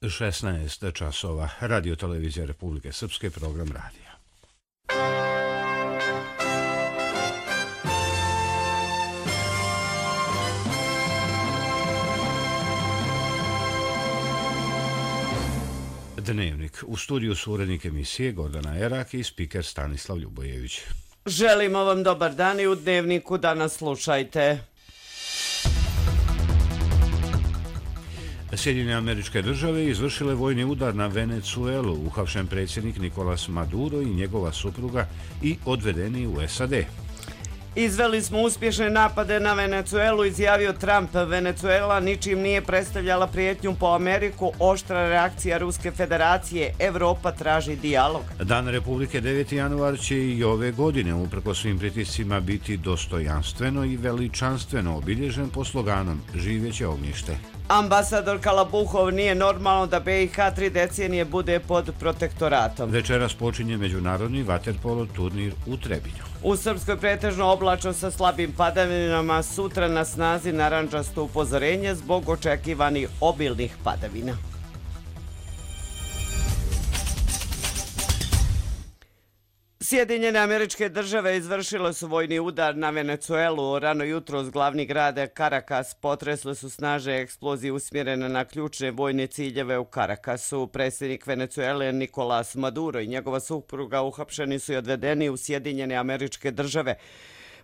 16 časova. Radio Televizija Republike Srpske, program radija. Dnevnik. U studiju su urednik emisije Gordana Erak i spiker Stanislav Ljubojević. Želimo vam dobar dan i u Dnevniku danas slušajte. Sjedinjene Američke Države izvršile vojni udar na Venecuelu, uhapšen predsjednik Nicolas Maduro i njegova supruga i odvedeni u SAD. Izveli smo uspješne napade na Venecuelu, izjavio Trump. Venecuela ničim nije predstavljala prijetnju po Ameriku, oštra reakcija Ruske federacije, Evropa traži dijalog. Dan Republike 9. januar će i ove godine, uprkos svim pritiscima, biti dostojanstveno i veličanstveno obilježen po sloganom Živeće ognjište. Ambasador Kalabuhov: nije normalno da BiH 3 decenije bude pod protektoratom. Večeras počinje međunarodni vaterpolo turnir u Trebinju. U Srpskoj pretežno oblačno sa slabim padavinama, sutra na snazi narandžasto upozorenje zbog očekivanih obilnih padavina. Sjedinjene Američke Države izvršile su vojni udar na Venecuelu. Rano jutros glavni grad Caracas potresle su snažne eksplozije usmjerene na ključne vojne ciljeve u Caracasu. Predsjednik Venecuele Nicolas Maduro i njegova supruga uhapšeni su i odvedeni u Sjedinjene Američke Države.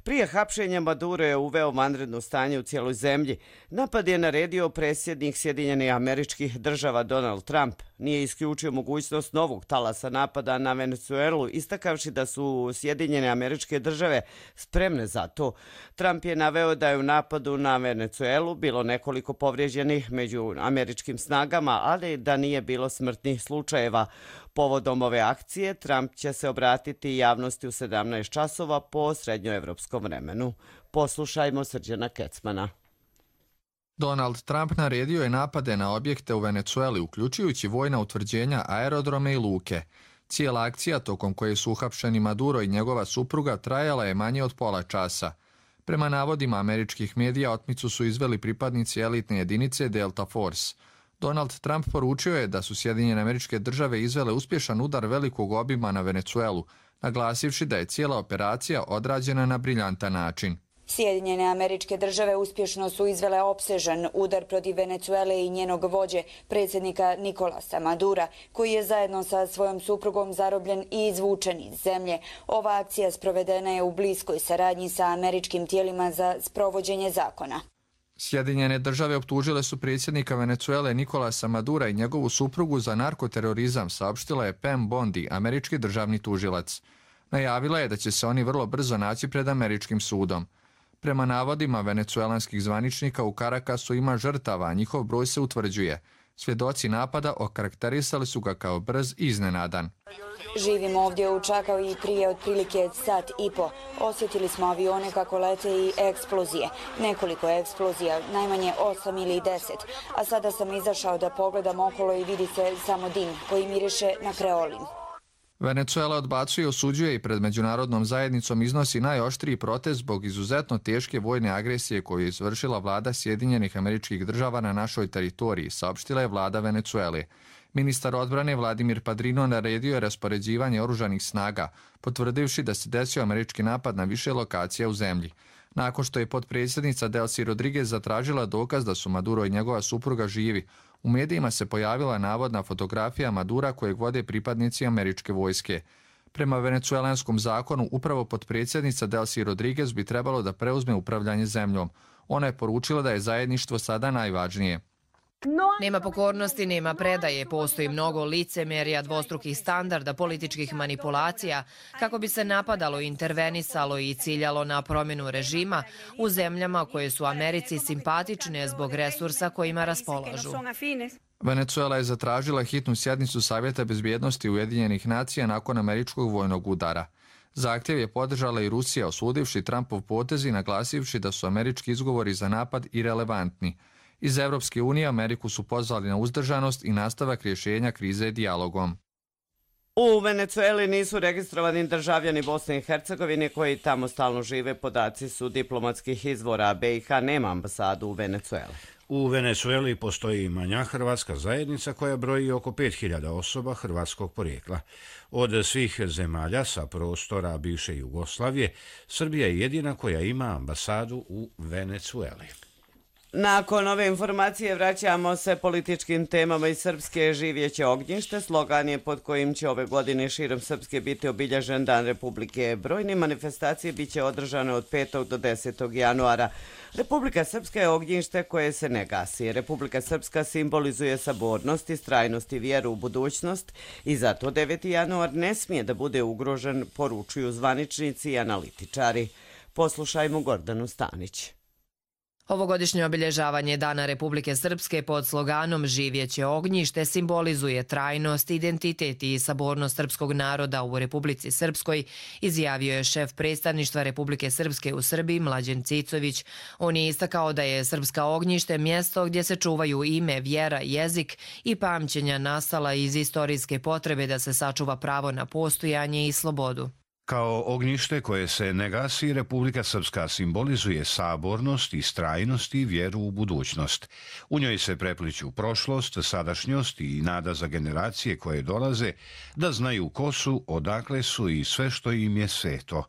Prije hapšenja Maduro je uveo vanredno stanje u cijeloj zemlji. Napad je naredio predsjednik Sjedinjenih Američkih Država Donald Trump. Nije isključio mogućnost novog talasa napada na Venecuelu, istakavši da su Sjedinjene Američke Države spremne za to. Trump je naveo da je u napadu na Venecuelu bilo nekoliko povrijeđenih među američkim snagama, ali da nije bilo smrtnih slučajeva. Povodom ove akcije Trump će se obratiti javnosti u 17 časova po srednjoevropskom vremenu. Poslušajmo Srđana Kecmana. Donald Trump naredio je napade na objekte u Venecueli, uključujući vojna utvrđenja, aerodrome i luke. Cijela akcija, tokom koje su uhapšeni Maduro i njegova supruga, trajala je manje od pola časa. Prema navodima američkih medija, otmicu su izveli pripadnici elitne jedinice Delta Force. Donald Trump poručio je da su Sjedinjene Američke Države izvele uspješan udar velikog obima na Venecuelu, naglasivši da je cijela operacija odrađena na briljantan način. Sjedinjene Američke Države uspješno su izvele opsežan udar protiv Venecuele i njenog vođe, predsjednika Nicolasa Madura, koji je zajedno sa svojom suprugom zarobljen i izvučen iz zemlje. Ova akcija sprovedena je u bliskoj saradnji sa američkim tijelima za sprovođenje zakona. Sjedinjene Države optužile su predsjednika Venecuele Nicolasa Madura i njegovu suprugu za narkoterorizam, saopštila je Pam Bondi, američki državni tužilac. Najavila je da će se oni vrlo brzo naći pred američkim sudom. Prema navodima venecuelanskih zvaničnika, u Caracasu ima žrtava, a njihov broj se utvrđuje. Svjedoci napada okarakterisali su ga kao brz i iznenadan. Živimo ovdje u Čakao i prije otprilike sat i po. Osjetili smo avione kako lete i eksplozije. Nekoliko eksplozija, najmanje 8 ili 10. A sada sam izašao da pogledam okolo i vidi se samo dim koji miriše na kreolin. Venecuela odbacuje, osuđuje i pred međunarodnom zajednicom iznosi najoštriji protest zbog izuzetno teške vojne agresije koju je izvršila vlada Sjedinjenih Američkih Država na našoj teritoriji, saopštila je vlada Venecuele. Ministar odbrane Vladimir Padrino naredio je raspoređivanje oružanih snaga, potvrdivši da se desio američki napad na više lokacija u zemlji. Nakon što je potpredsjednica Delcy Rodriguez zatražila dokaz da su Maduro i njegova supruga živi, u medijima se pojavila navodna fotografija Madura kojeg vode pripadnici američke vojske. Prema venecuelanskom zakonu, upravo potpredsjednica Delcy Rodriguez bi trebalo da preuzme upravljanje zemljom. Ona je poručila da je zajedništvo sada najvažnije. Nema pokornosti, nema predaje, postoji mnogo licemerja, dvostrukih standarda, političkih manipulacija kako bi se napadalo, intervenisalo i ciljalo na promjenu režima u zemljama koje su Americi simpatične zbog resursa kojima raspolažu. Venecuela je zatražila hitnu sjednicu Savjeta bezbjednosti Ujedinjenih nacija nakon američkog vojnog udara. Zahtjev je podržala i Rusija, osudivši Trumpov potez i naglasivši da su američki izgovori za napad irelevantni. Iz Evropske unije Ameriku su pozvali na uzdržanost i nastavak rješenja krize dijalogom. U Venecueli nisu registrovani državljani Bosne i Hercegovine koji tamo stalno žive, podaci su diplomatskih izvora. BiH nema ambasadu u Venecueli. U Venecueli postoji manja hrvatska zajednica koja broji oko 5000 osoba hrvatskog porijekla. Od svih zemalja sa prostora bivše Jugoslavije, Srbija je jedina koja ima ambasadu u Venecueli. Nakon ove informacije vraćamo se političkim temama iz Srpske. Živjeće ognjište slogan je pod kojim će ove godine širom Srpske biti obilježen Dan Republike. Brojne manifestacije bit će održane od 5. do 10. januara. Republika Srpska je ognjište koje se ne gasi. Republika Srpska simbolizuje sabornost, istrajnost i vjeru u budućnost i zato 9. januar ne smije da bude ugrožen, poručuju zvaničnici i analitičari. Poslušajmo Gordanu Stanić. Ovogodišnje obilježavanje Dana Republike Srpske pod sloganom Živjeće ognjište simbolizuje trajnost, identitet i sabornost srpskog naroda u Republici Srpskoj, izjavio je šef predstavništva Republike Srpske u Srbiji Mlađen Cicović. On je istakao da je Srpska ognjište mjesto gdje se čuvaju ime, vjera, jezik i pamćenja nastala iz istorijske potrebe da se sačuva pravo na postojanje i slobodu. Kao ognjište koje se ne gasi, Republika Srpska simbolizuje sabornost, istrajnost i vjeru u budućnost. U njoj se prepliću prošlost, sadašnjost i nada za generacije koje dolaze da znaju ko su, odakle su i sve što im je sveto.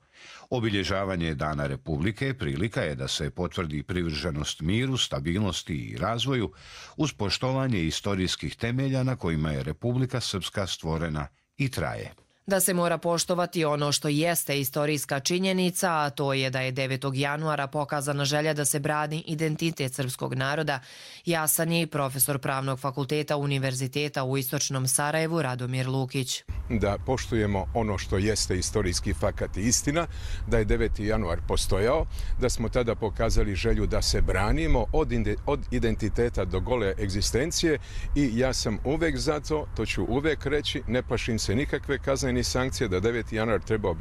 Obilježavanje Dana Republike prilika je da se potvrdi privrženost miru, stabilnosti i razvoju uz poštovanje istorijskih temelja na kojima je Republika Srpska stvorena i traje. Da se mora poštovati ono što jeste istorijska činjenica, a to je da je 9. januara pokazana želja da se brani identitet srpskog naroda, jasan je i profesor Pravnog fakulteta Univerziteta u Istočnom Sarajevu Radomir Lukić. Da poštujemo ono što jeste istorijski fakat i istina, da je 9. januar postojao, da smo tada pokazali želju da se branimo od identiteta do gole egzistencije i ja sam uvek za to ću uvek reći, ne plašim se nikakve kazne ni sankcije da 9. januar treba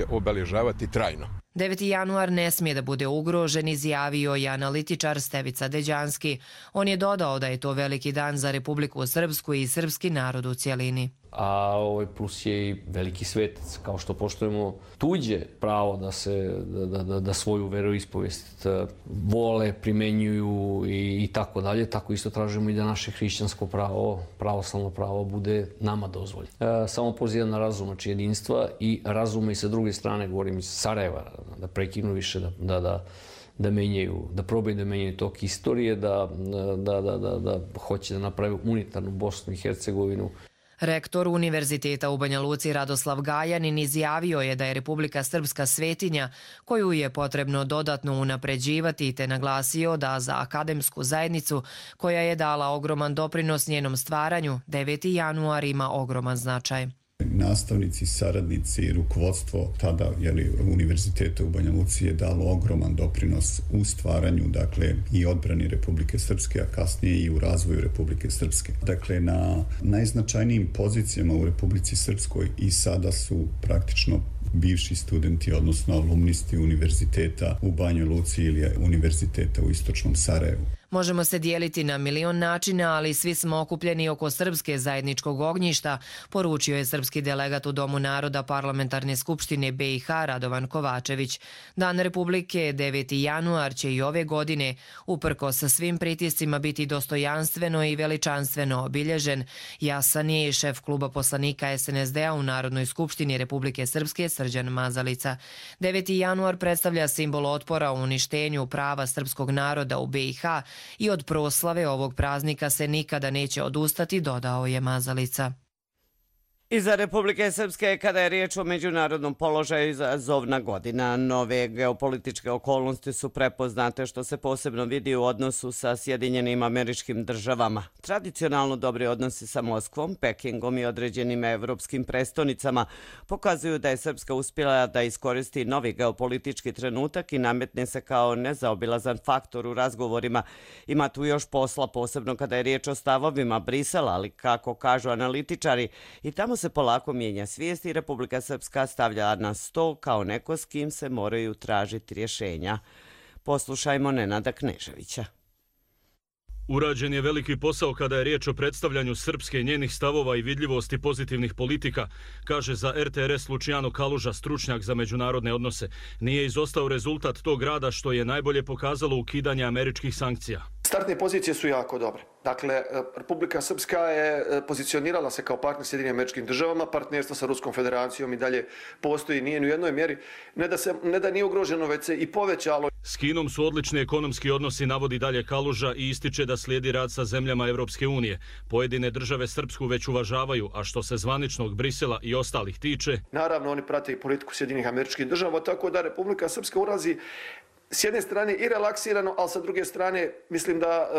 obeležavati trajno. 9. januar ne smije da bude ugrožen, izjavio je analitičar Stevica Deđanski. On je dodao da je to veliki dan za Republiku Srpsku i srpski narod u cjelini. A plus je i veliki svetac, kao što poštujemo tuđe pravo da svoju veroispovijest vole, primenjuju i tako dalje, tako isto tražimo i da naše hrišćansko pravo, pravoslavno pravo bude nama dozvoljeno. Samo pozivam na razum, znači jedinstva i razuma i sa druge strane, govorim iz Sarajeva, da prekinu više, da probaju da menjaju tok istorije, da hoće da napravi unitarnu Bosnu i Hercegovinu. Rektor Univerziteta u Banja Luci Radoslav Gajanin izjavio je da je Republika Srpska svetinja koju je potrebno dodatno unapređivati, te naglasio da za akademsku zajednicu koja je dala ogroman doprinos njenom stvaranju, 9. januar ima ogroman značaj. Nastavnici, saradnici, rukovodstvo tada Univerziteta u Banja Luci je dalo ogroman doprinos u stvaranju, dakle, i odbrani Republike Srpske, a kasnije i u razvoju Republike Srpske. Dakle, na najznačajnijim pozicijama u Republici Srpskoj i sada su praktično bivši studenti, odnosno alumnisti univerziteta u Banjoj Luci ili univerziteta u Istočnom Sarajevu. Možemo se dijeliti na milion načina, ali svi smo okupljeni oko srpske zajedničkog ognjišta, poručio je srpski delegat u Domu naroda Parlamentarne skupštine BiH Radovan Kovačević. Dan Republike 9. januar će i ove godine, uprkos sa svim pritiscima, biti dostojanstveno i veličanstveno obilježen. Jasan je i šef kluba poslanika SNSD-a u Narodnoj skupštini Republike Srpske Srđan Mazalica. 9. januar predstavlja simbol otpora u uništenju prava srpskog naroda u BiH i od proslave ovog praznika se nikada neće odustati, dodao je Mazalica. Iza Republike Srpske, kada je riječ o međunarodnom položaju, izazovna godina. Nove geopolitičke okolnosti su prepoznate, što se posebno vidi u odnosu sa Sjedinjenim Američkim Državama. Tradicionalno dobri odnosi sa Moskvom, Pekingom i određenim evropskim prestonicama pokazuju da je Srpska uspjela da iskoristi novi geopolitički trenutak i nametne se kao nezaobilazan faktor u razgovorima. Ima tu još posla, posebno kada je riječ o stavovima Brisela, ali kako kažu analitičari, i tamo se polako mijenja svijest i Republika Srpska stavlja na sto kao neko s kim se moraju tražiti rješenja. Poslušajmo Nenada Kneževića. Urađen je veliki posao kada je riječ o predstavljanju Srpske i njenih stavova i vidljivosti pozitivnih politika, kaže za RTRS Luciano Kaluža, stručnjak za međunarodne odnose. Nije izostao rezultat tog rada, što je najbolje pokazalo ukidanje američkih sankcija. Startne pozicije su jako dobre. Dakle, Republika Srpska je pozicionirala se kao partner Sjedinjenim Američkim Državama, partnerstvo sa Ruskom federacijom i dalje postoji, nije ni u jednoj mjeri, ne da nije ugroženo, već se i povećalo. S Kinom su odlični ekonomski odnosi, navodi dalje Kaluža i ističe da slijedi rad sa zemljama Evropske unije. Pojedine države Srpsku već uvažavaju, a što se zvaničnog Brisela i ostalih tiče... Naravno, oni prate i politiku Sjedinjenih Američkih Država, tako da Republika Srpska ulazi s jedne strane i relaksirano, ali sa druge strane mislim da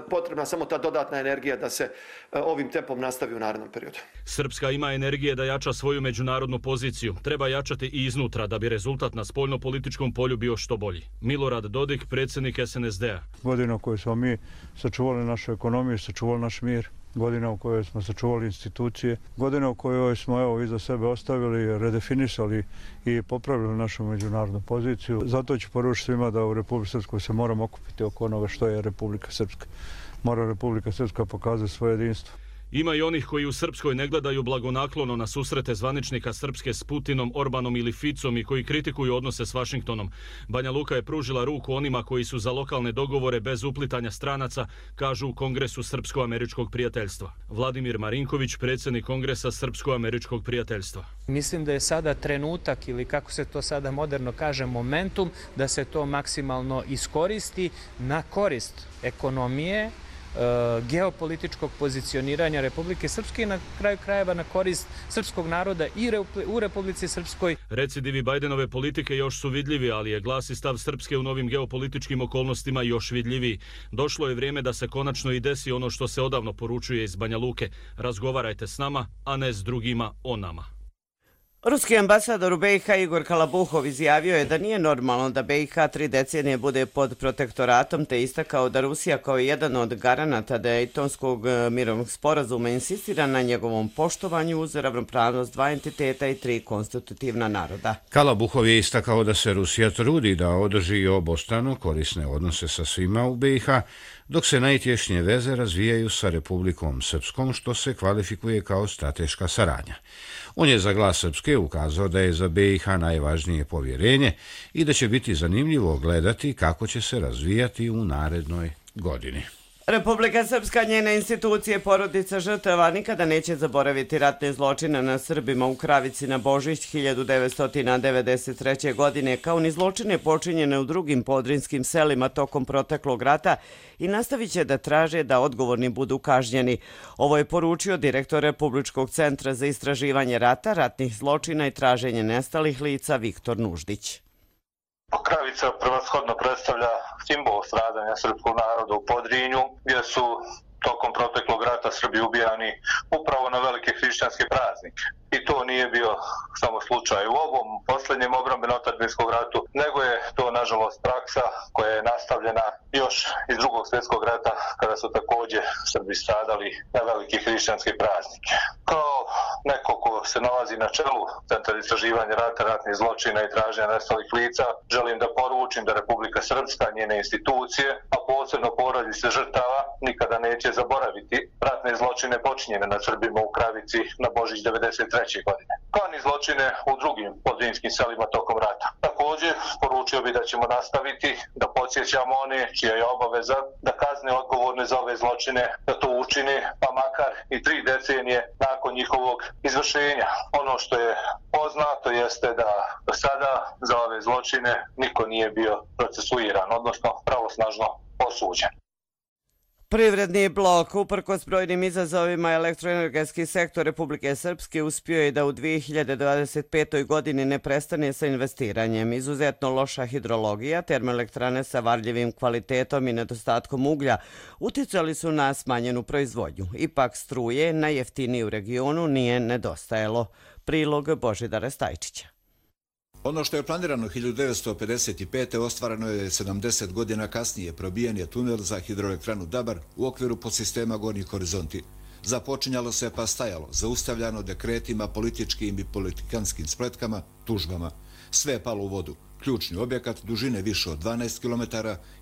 potrebna samo ta dodatna energija da se ovim tempom nastavi u narednom periodu. Srpska ima energije da jača svoju međunarodnu poziciju. Treba jačati i iznutra da bi rezultat na spoljno-političkom polju bio što bolji. Milorad Dodik, predsjednik SNSD-a. Godina u kojoj smo mi sačuvali našu ekonomiju, sačuvali naš mir, godina u kojoj smo sačuvali institucije, godina u kojoj smo iza sebe ostavili, redefinisali i popravili našu međunarodnu poziciju. Zato ću poručiti svima da u Republici Srpskoj se moramo okupiti oko onoga što je Republika Srpska. Mora Republika Srpska pokazati svoje jedinstvo. Ima i onih koji u Srpskoj ne gledaju blagonaklono na susrete zvaničnika Srpske s Putinom, Orbanom ili Ficom i koji kritikuju odnose s Vašingtonom. Banja Luka je pružila ruku onima koji su za lokalne dogovore bez uplitanja stranaca, kažu u Kongresu Srpsko-američkog prijateljstva. Vladimir Marinković, predsjednik Kongresa Srpsko-američkog prijateljstva. Mislim da je sada trenutak, ili kako se to sada moderno kaže, momentum, da se to maksimalno iskoristi na korist ekonomije, geopolitičkog pozicioniranja Republike Srpske i na kraju krajeva na korist srpskog naroda i u Republici Srpskoj. Recidivi Bajdenove politike još su vidljivi, ali je glas i stav Srpske u novim geopolitičkim okolnostima još vidljiviji. Došlo je vrijeme da se konačno i desi ono što se odavno poručuje iz Banja Luke. Razgovarajte s nama, a ne s drugima o nama. Ruski ambasador u BiH Igor Kalabuhov izjavio je da nije normalno da BiH 3 decenije bude pod protektoratom, te istakao da Rusija kao jedan od garanata Dejtonskog mirovnog sporazuma insistira na njegovom poštovanju uz ravnopravnost 2 entiteta i 3 konstitutivna naroda. Kalabuhov je istakao da se Rusija trudi da održi obostrano korisne odnose sa svima u BiH, dok se najtješnije veze razvijaju sa Republikom Srpskom, što se kvalifikuje kao strateška saradnja. On je za Glas Srpske ukazao da je za BiH najvažnije povjerenje i da će biti zanimljivo gledati kako će se razvijati u narednoj godini. Republika Srpska, njene institucije, porodica žrtava nikada neće zaboraviti ratne zločine na Srbima u Kravici na Božić 1993. godine, kao ni zločine počinjene u drugim podrinskim selima tokom proteklog rata i nastavit će da traže da odgovorni budu kažnjeni. Ovo je poručio direktor Republičkog centra za istraživanje rata, ratnih zločina i traženje nestalih lica Viktor Nuždić. Kravica prevashodno predstavlja simbol stradanja srpskog naroda u Podrinju, gdje su tokom proteklog rata Srbi ubijani upravo na velike hrišćanske praznike. I to nije bio samo slučaj u ovom posljednjem obrambeno-otadžbinskom ratu, nego je to nažalost praksa koja je nastavljena još iz Drugog svjetskog rata, kada su također Srbi stradali na velike hrišćanske praznike. Kao neko ko se nalazi na čelu Centra za istraživanje rata, ratnih zločina i traženja nestalih lica, želim da poručim da Republika Srpska, njene institucije, a posebno porodice žrtava, nikada neće zaboraviti ratne zločine počinjene nad Srbima u Kravici na Božić 1993. godine, kao ni zločine u drugim podrinskim selima tokom rata. Također, poručio bi da ćemo nastaviti da podsjećamo one čija je obaveza da kazne odgovorne za ove zločine, da to učine, pa makar i 3 decenije nakon njihovog izvršenja. Ono što je poznato jeste da do sada za ove zločine niko nije bio procesuiran, odnosno pravosnažno osuđen. Privredni blok, uprkos brojnim izazovima, elektroenergetski sektor Republike Srpske uspio je da u 2025. godini ne prestane sa investiranjem. Izuzetno loša hidrologija, termoelektrane sa varljivim kvalitetom i nedostatkom uglja uticali su na smanjenu proizvodnju. Ipak struje, najjeftinije u regionu, nije nedostajalo. Prilog Božidara Stajčića. Ono što je planirano 1955. ostvareno je 70 godina kasnije. Probijen je tunel za hidroelektranu Dabar u okviru podsistema Gornji horizonti. Započinjalo se pa stajalo, zaustavljano dekretima, političkim i politikanskim spletkama, tužbama. Sve je palo u vodu. Ključni objekat dužine više od 12 km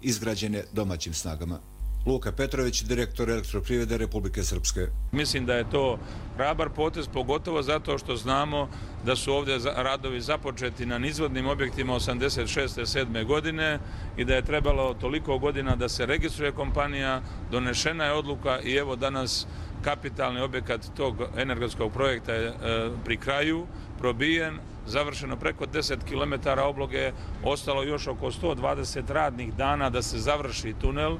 izgrađen je domaćim snagama. Luka Petrović, direktor Elektroprivrede Republike Srpske. Mislim da je to hrabar potez, pogotovo zato što znamo da su ovdje radovi započeti na nizvodnim objektima 86. godine i da je trebalo toliko godina da se registruje kompanija, donešena je odluka i evo danas kapitalni objekat tog energetskog projekta je pri kraju, probijen, završeno preko 10 km obloge, ostalo još oko 120 radnih dana da se završi tunel.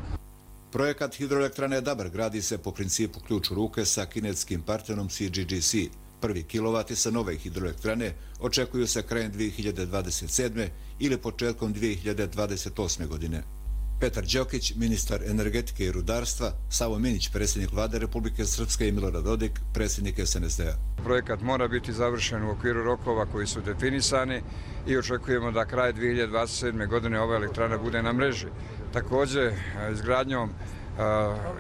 Projekat hidroelektrane Dabar gradi se po principu ključ u ruke sa kineskim partnerom CGGC. Prvi kilovati sa nove hidroelektrane očekuju se krajem 2027. ili početkom 2028. godine. Petar Đokić, ministar energetike i rudarstva, Savo Minić, predsjednik vlade Republike Srpske i Milorad Dodik, predsjednik SNSD-a. Projekat mora biti završen u okviru rokova koji su definisani i očekujemo da kraj 2027. godine ova elektrana bude na mreži. Također, izgradnjom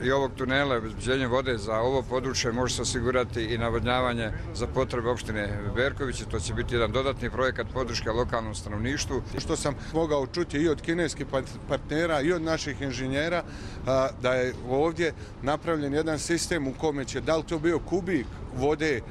i ovog tunela i obezbeđenjem vode za ovo područje može se osigurati i navodnjavanje za potrebe opštine Berković. To će biti jedan dodatni projekat podrške lokalnom stanovništvu. Što sam mogao čuti i od kineskih partnera i od naših inženjera da je ovdje napravljen jedan sistem u kome će, da li to bio kubik vode,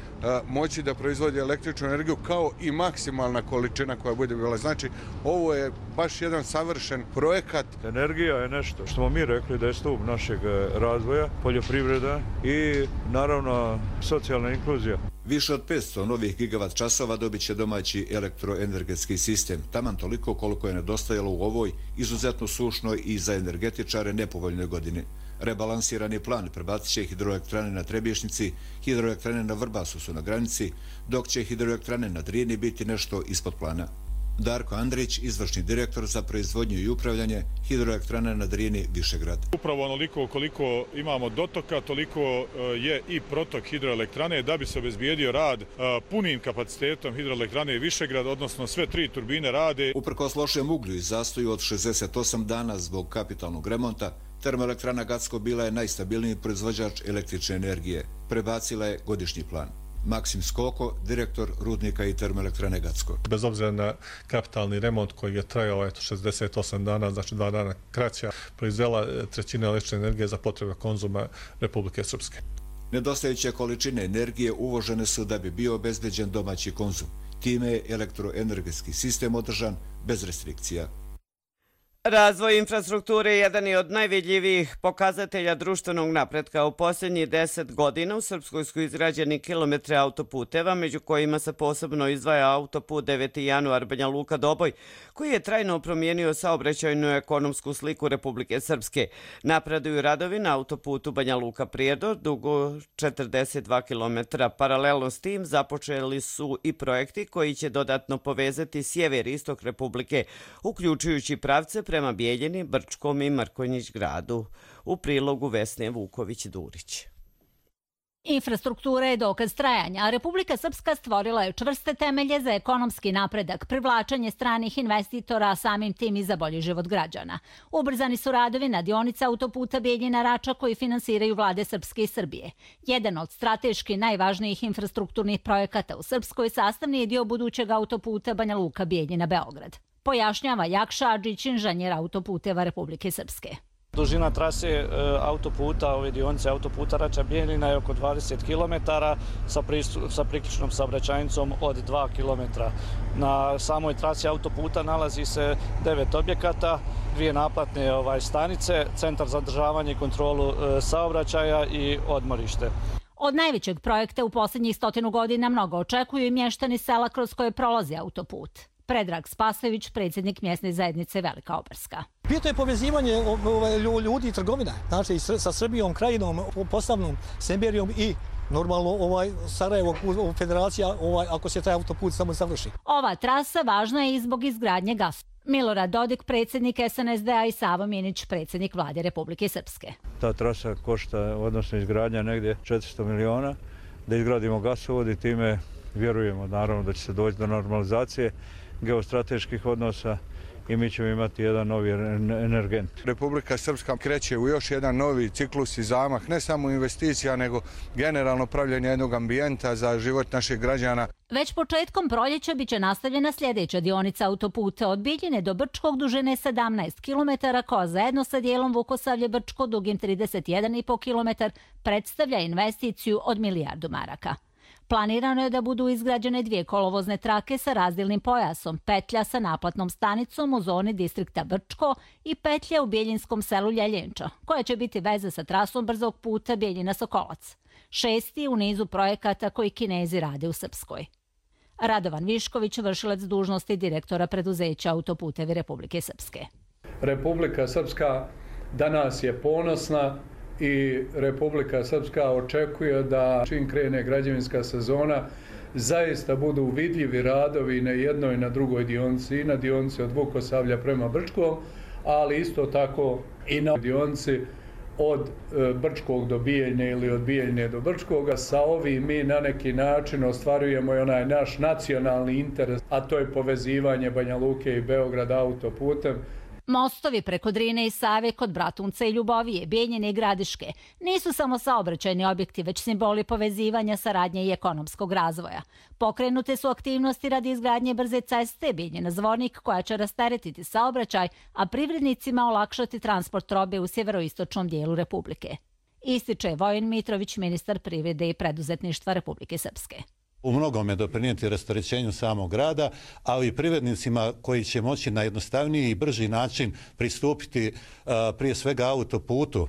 moći da proizvodi električnu energiju kao i maksimalna količina koja bude bila. Znači, ovo je baš jedan savršen projekat. Energija je nešto što smo mi rekli da je stup našeg razvoja, poljoprivreda i naravno socijalna inkluzija. Više od 500 novih gigavat časova dobit će domaći elektroenergetski sistem, taman toliko koliko je nedostajalo u ovoj izuzetno sušnoj i za energetičare nepovoljnoj godini. Rebalansirani plan prebacit će hidroelektrane na Trebješnjici, hidroelektrane na Vrbasu su na granici, dok će hidroelektrane na Drini biti nešto ispod plana. Darko Andrić, izvršni direktor za proizvodnju i upravljanje hidroelektrane na Drini Višegrad. Upravo onoliko koliko imamo dotoka, toliko je i protok hidroelektrane da bi se obezbijedio rad punim kapacitetom hidroelektrane Višegrad, odnosno sve 3 turbine rade. Uprkos lošem uglju i zastoju od 68 dana zbog kapitalnog remonta, termoelektrana Gacko bila je najstabilniji proizvođač električne energije. Prebacila je godišnji plan. Maksim Skoko, direktor rudnika i termoelektrane Gacko. Bez obzira na kapitalni remont koji je trajao 68 dana, znači 2 dana kraća, proizvela trećina električne energije za potrebe konzuma Republike Srpske. Nedostajuće količine energije uvožene su da bi bio obezbeđen domaći konzum. Time je elektroenergetski sistem održan bez restrikcija. Razvoj infrastrukture je jedan od najvidljivijih pokazatelja društvenog napretka. U posljednjih 10 godina u Srpskoj su izgrađeni kilometre autoputeva, među kojima se posebno izdvaja autoput 9. januar Banja Luka-Doboj, koji je trajno promijenio saobraćajnu ekonomsku sliku Republike Srpske. Napreduju radovi na autoputu Banja Luka-Prijedor, dugo 42 km. Paralelno s tim započeli su i projekti koji će dodatno povezati sjever i istok Republike, uključujući pravce prema Bijeljini, Brčkom i Mrkonjić gradu. U prilogu Vesne Vuković-Durić. Infrastruktura je dokaz trajanja, a Republika Srpska stvorila je čvrste temelje za ekonomski napredak, privlačenje stranih investitora, a samim tim i za bolji život građana. Ubrzani su radovi na dionici autoputa Bijeljina-Rača koji finansiraju vlade Srpske i Srbije. Jedan od strateški najvažnijih infrastrukturnih projekata u Srpskoj sastavni je dio budućeg autoputa Banja Luka-Bijeljina-Beograd. Pojašnjava Jakša Adžić, inženjer autoputeva Republike Srpske. Dužina trase autoputa, ove dionice autoputa Rača-Bijeljina je oko 20 km sa priključnom saobraćajnicom od 2 km. Na samoj trasi autoputa nalazi se 9 objekata, 2 naplatne stanice, centar za održavanje i kontrolu saobraćaja i odmorište. Od najvećeg projekta u posljednjih 100 godina mnogo očekuju i mještani sela kroz koje prolazi autoput. Predrag Spasojević, predsjednik mjesne zajednice Velika Obarska. Bitno je povezivanje ljudi i trgovina, znači sa Srbijom, krajinom, Posavnom, Semberijom i normalno Sarajevo, federacija, ako se taj autoput samo završi. Ova trasa važna je i zbog izgradnje gasa. Milorad Dodik, predsjednik SNSD-a i Savo Minić, predsjednik vlade Republike Srpske. Ta trasa košta, odnosno izgradnja, negdje 400 miliona, da izgradimo gasovod i time vjerujemo naravno da će se doći do normalizacije geostrateških odnosa i mi ćemo imati jedan novi energent. Republika Srpska kreće u još jedan novi ciklus i zamah, ne samo investicija, nego generalno pravljenje jednog ambijenta za život naših građana. Već početkom proljeća biće nastavljena sljedeća dionica autoputa od Biljine do Brčkog dužine 17 km, koja zajedno sa dijelom Vukosavlje-Brčko dugim 31,5 km predstavlja investiciju od milijardu maraka. Planirano je da budu izgrađene 2 kolovozne trake sa razdjelnim pojasom, petlja sa naplatnom stanicom u zoni distrikta Brčko i petlja u Biljinskom selu Ljeljenča, koja će biti veza sa trasom brzog puta Bijeljina-Sokolac. 6. u nizu projekata koji Kinezi rade u Srpskoj. Radovan Višković, vršilac dužnosti direktora preduzeća Autoputevi Republike Srpske. Republika Srpska danas je ponosna i Republika Srpska očekuje da čim krene građevinska sezona zaista budu vidljivi radovi na jednoj i na drugoj dionici, i na dionici od Vukosavlja prema Brčkom, ali isto tako i na dionici od Brčkog do Bijeljne ili od Bijeljne do Brčkoga. Sa ovim mi na neki način ostvarujemo i onaj naš nacionalni interes, a to je povezivanje Banja Luke i Beograda autoputem. Mostovi preko Drine i Save kod Bratunca i Ljubovije, Bijeljine i Gradiške nisu samo saobraćajni objekti, već simboli povezivanja, saradnje i ekonomskog razvoja. Pokrenute su aktivnosti radi izgradnje brze ceste Bijeljina-Zvornik, koja će rasteretiti saobraćaj, a privrednicima olakšati transport robe u sjeveroistočnom dijelu Republike. Ističe Vojin Mitrović, ministar privrede i preduzetništva Republike Srpske. U mnogome doprinijeti rasterećenju samog grada, ali i privrednicima koji će moći na jednostavniji i brži način pristupiti prije svega autoputu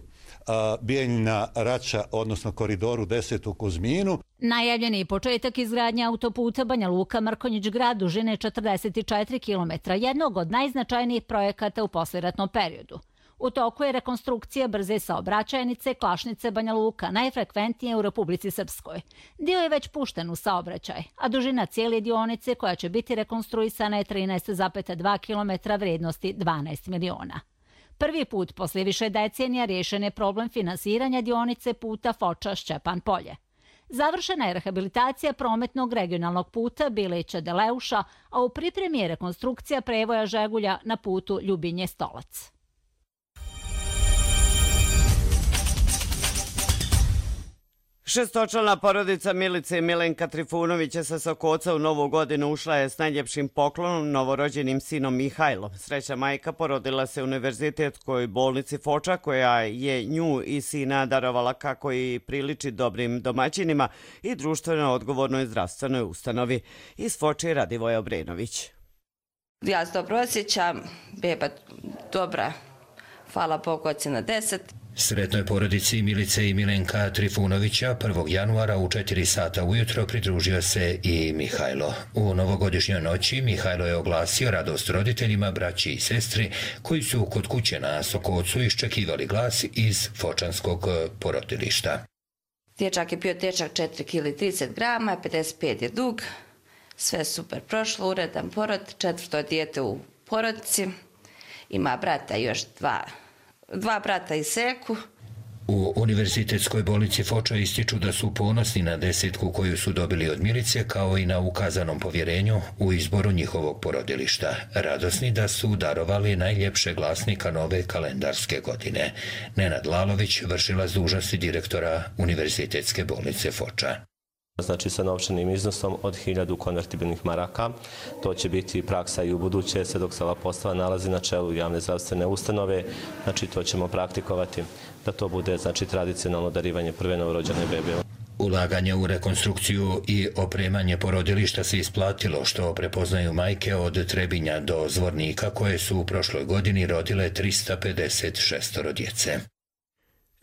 Bijeljina-Rača, odnosno koridoru 10 u Kuzminu. Najavljeni početak izgradnje autoputa Banja Luka-Mrkonjić-Grad dužine 44 km, jednog od najznačajnijih projekata u poslijeratnom periodu. U toku je rekonstrukcija brze saobraćajnice Klašnice-Banja Luka, najfrekventnije u Republici Srpskoj. Dio je već pušten u saobraćaj, a dužina cijele dionice koja će biti rekonstruisana je 13,2 km vrijednosti 12 miliona. Prvi put poslije više decenija riješen je problem finansiranja dionice puta Foča-Šćepan Polje. Završena je rehabilitacija prometnog regionalnog puta Bileća-Deleuša, a u pripremi je rekonstrukcija prevoja Žegulja na putu Ljubinje-Stolac. Šestočlana porodica Milice i Milenka Trifunovića sa Sokoca u novu godinu ušla je s najljepšim poklonom novorođenim sinom Mihajlom. Sreća majka porodila se u univerzitetskoj bolnici Foča, koja je nju i sina darovala kako i priliči dobrim domaćinima i društveno odgovornoj zdravstvenoj ustanovi. Iz Foče Radivoja Obrenović. Ja se dobro osjećam, beba dobra, hvala Bogu, ocjena 10. Sretnoj porodici Milice i Milenka Trifunovića 1. januara u 4 sata ujutro pridružio se i Mihajlo. U novogodišnjoj noći Mihajlo je oglasio radost roditeljima, braći i sestri koji su kod kuće na Sokocu iščekivali glas iz fočanskog porodilišta. Dječak je bio težak 4 kg 30 grama, 55 je dug, sve super prošlo, uredan porod, 4. dijete u porodici, ima brata još dva brata i seku. U univerzitetskoj bolnici Foča ističu da su ponosni na 10 koju su dobili od Milice, kao i na ukazanom povjerenju u izboru njihovog porodilišta. Radosni da su darovali najljepše glasnika nove kalendarske godine. Nenad Lalović, vršilac dužnosti direktora univerzitetske bolnice Foča. Znači sa novčanim iznosom od 1000 konvertibilnih maraka. To će biti praksa i u buduće, sve dok se ova postava nalazi na čelu javne zdravstvene ustanove. Znači to ćemo praktikovati da to bude tradicionalno darivanje prve novorođene bebe. Ulaganje u rekonstrukciju i opremanje porodilišta se isplatilo, što prepoznaju majke od Trebinja do Zvornika, koje su u prošloj godini rodile 356 djece.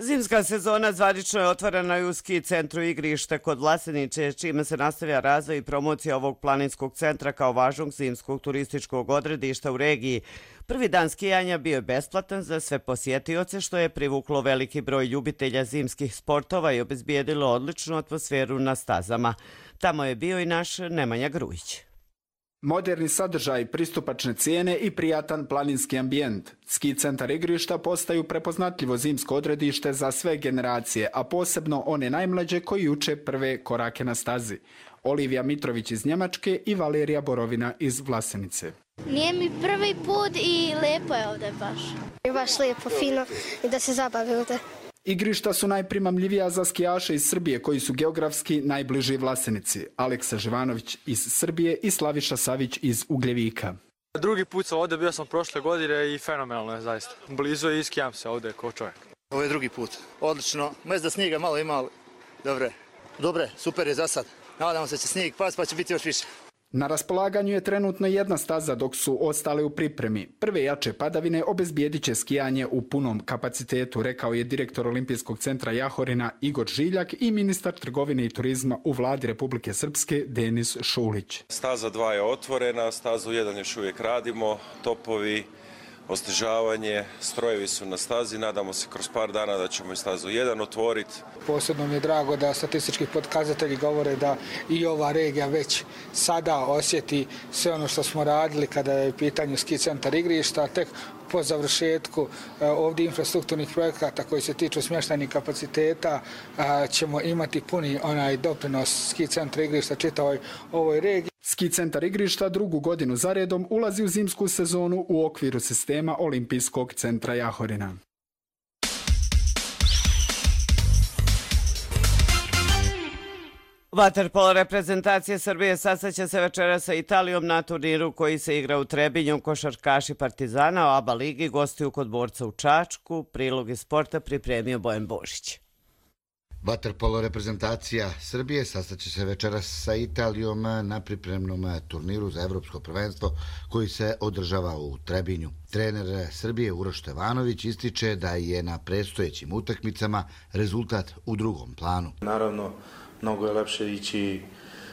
Zimska sezona zvanično je otvorena i u ski centru Igrište kod Vlasenice, čime se nastavlja razvoj i promocija ovog planinskog centra kao važnog zimskog turističkog odredišta u regiji. Prvi dan skijanja bio je besplatan za sve posjetioce, što je privuklo veliki broj ljubitelja zimskih sportova i obezbijedilo odličnu atmosferu na stazama. Tamo je bio i naš Nemanja Grujić. Moderni sadržaj, pristupačne cijene i prijatan planinski ambijent. Ski centar Igrišta postaju prepoznatljivo zimsko odredište za sve generacije, a posebno one najmlađe koji uče prve korake na stazi. Olivija Mitrović iz Njemačke i Valerija Borovina iz Vlasenice. Nije mi prvi put i lepo je ovdje baš. Je baš lijepo, fino i da se zabavi ovdje. Igrišta su najprimamljivija za skijaše iz Srbije koji su geografski najbliži Vlasenici. Aleksa Živanović iz Srbije i Slaviša Savić iz Ugljevika. Drugi put sam ovdje, bio sam prošle godine i fenomenalno je zaista. Blizu je i skijam se ovdje kao čovjek. Ovo je drugi put. Odlično. Možda snijega malo ima, dobre, super je za sad. Nadamo se da će snijeg pasti pa će biti još više. Na raspolaganju je trenutno jedna staza dok su ostale u pripremi. Prve jače padavine obezbijedit će skijanje u punom kapacitetu, rekao je direktor Olimpijskog centra Jahorina Igor Žiljak i ministar trgovine i turizma u vladi Republike Srpske Denis Šulić. Staza 2 je otvorena, stazu 1 još uvijek radimo, topovi, osnežavanje, strojevi su na stazi, nadamo se kroz par dana da ćemo i stazu 1 otvoriti. Posebno mi je drago da statistički pokazatelji govore da i ova regija već sada osjeti sve ono što smo radili kada je u pitanju ski centar Igrišta, tek po završetku ovdje infrastrukturnih projekata koji se tiču smještajnih kapaciteta ćemo imati puni onaj doprinos ski centra Igrišta čitavoj ovoj regiji. Ski centar Igrišta drugu godinu zaredom ulazi u zimsku sezonu u okviru sistema Olimpijskog centra Jahorina. Vaterpolo reprezentacije Srbije sastaće se večeras sa Italijom na turniru koji se igra u Trebinju. Košarkaši Partizana o ABA ligi gostuju kod Borca u Čačku. Prilog iz sporta pripremio Bojan Božić. Vaterpolo reprezentacija Srbije sastaće se večeras sa Italijom na pripremnom turniru za evropsko prvenstvo koji se održava u Trebinju. Trener Srbije Uroš Stevanović ističe da je na predstojećim utakmicama rezultat u drugom planu. Naravno, mnogo je lepše ići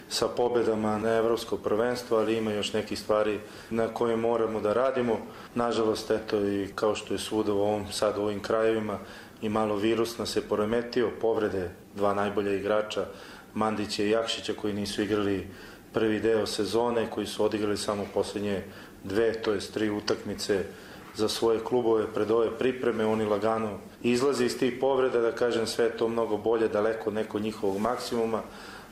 sa pobjedama na evropsko prvenstvo, ali ima još nekih stvari na koje moramo da radimo. Nažalost, eto i kao što je svuda u ovim krajevima, i malo virus nas je poremetio, povrede dva najbolja igrača, Mandića i Jakšića koji nisu igrali prvi deo sezone, koji su odigrali samo posljednje 2, to jest 3 utakmice za svoje klubove pred ove pripreme. Oni lagano izlaze iz tih povreda, da kažem, sve je to mnogo bolje, daleko neko njihovog maksimuma,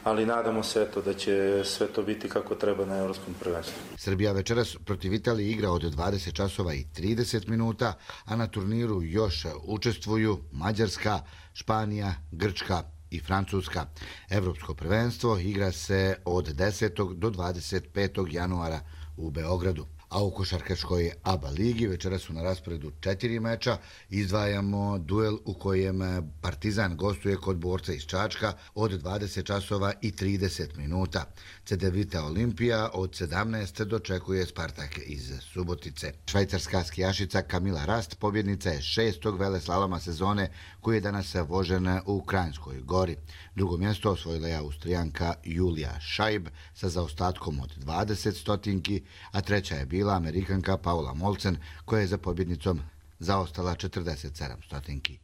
ali nadamo se da će sve to biti kako treba na evropskom prvenstvu. Srbija večeras protiv Italije igra od 20 časova i 30 minuta, a na turniru još učestvuju Mađarska, Španija, Grčka i Francuska. Evropsko prvenstvo igra se od 10. do 25. januara u Beogradu. A u košarkaškoj ABA ligi večera su na rasporedu 4 meča. Izdvajamo duel u kojem Partizan gostuje kod Borca iz Čačka od 20 časova i 30 minuta. Cedevita Olimpija od 17 dočekuje Spartak iz Subotice. Švajcarska skijašica Kamila Rast pobjednica je 6. veleslaloma sezone koji je danas vožen u Kranjskoj Gori. Drugo mjesto osvojila je Austrijanka Julija Šajb sa zaostatkom od 20 stotinki, a treća je bila Amerikanka Paula Molcen koja je za pobjednicom zaostala 47 stotinki.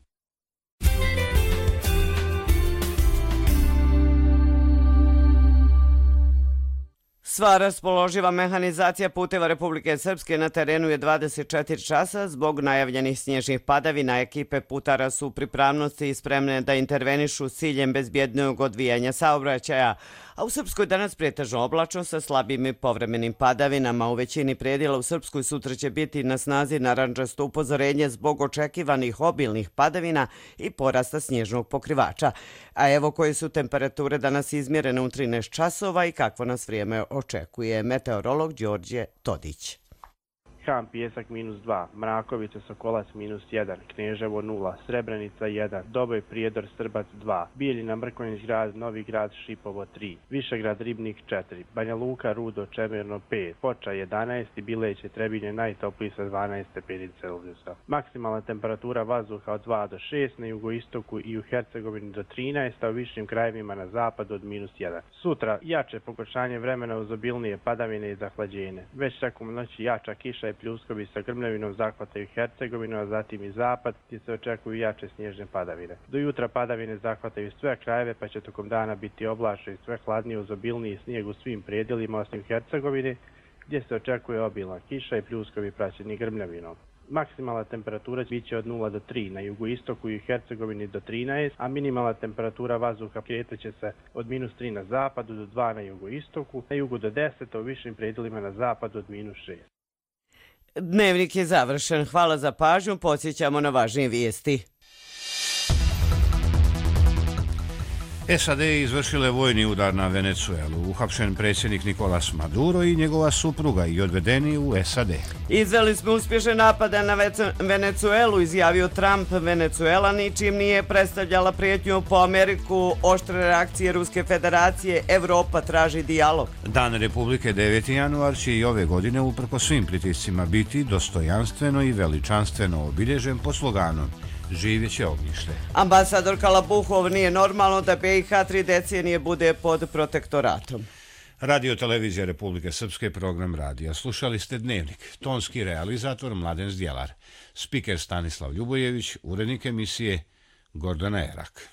Sva raspoloživa mehanizacija puteva Republike Srpske na terenu je 24 časa. Zbog najavljenih snježnih padavina ekipe putara su u pripravnosti i spremne da intervenišu s ciljem bezbjednog odvijanja saobraćaja. A u Srpskoj danas pretežno oblačno sa slabim i povremenim padavinama. U većini predjela u Srpskoj sutra će biti na snazi narandžasto upozorenje zbog očekivanih obilnih padavina i porasta snježnog pokrivača. A evo koje su temperature danas izmjerene u 13 časova i kakvo nas vrijeme očekuje meteorolog Đorđe Todić. Han Pijesak -2, Mrakovica Sokolac -1, Kneževo 0, Srebrenica 1, Doboj Prijedor Strbac 2, Bijeljina Mrkonjić grad, Novi grad Šipovo 3, Višegrad Ribnik 4, Banja Luka Rudo Čemerno 5, Foča 11 i Bileće Trebinje najtopliji sa 12 stepeni Celzijusa. Maksimalna temperatura vazduha od 2 do 6 na jugoistoku i u Hercegovini do 13, a u višim krajevima na zapadu od -1. Sutra jače pogoršanje vremena uz obilnije padavine i zahlađenje. Već tokom noći jača kiša i pljuskovi sa grmljavinom zahvataju Hercegovinu, a zatim i zapad, gdje se očekuju jače snježne padavine. Do jutra padavine zahvataju sve krajeve, pa će tokom dana biti oblačno i sve hladnije uz obilniji snijeg u svim predjelima osim Hercegovine, gdje se očekuje obilna kiša i pljuskovi praćeni grmljavinom. Maksimalna temperatura biće od 0 do 3, na jugoistoku i Hercegovini do 13, a minimalna temperatura vazduha kretaće se od -3 na zapadu do 2 na jugoistoku, na jugu do 10, a u višim predjelima na zapadu od -6. Dnevnik je završen. Hvala za pažnju. Podsjećamo na važnije vijesti. SAD je izvršile vojni udar na Venecuelu. Uhapšen predsjednik Nicolas Maduro i njegova supruga i odvedeni u SAD. Izveli smo uspješne napade na Venecuelu, izjavio Trump. Venecuela ničim nije predstavljala prijetnju po Ameriku. Oštre reakcije Ruske federacije. Evropa traži dijalog. Dan Republike 9. januar će i ove godine uprko svim pritiscima biti dostojanstveno i veličanstveno obilježen po sloganom Živjeće ognjište. Ambasador Kalabuhov, nije normalno da BiH 3 decenije bude pod protektoratom. Radio televizija Republike Srpske, program radija. Slušali ste Dnevnik. Tonski realizator Mladen Zdjelar. Spiker Stanislav Ljubojević, urednik emisije Gordana Erak.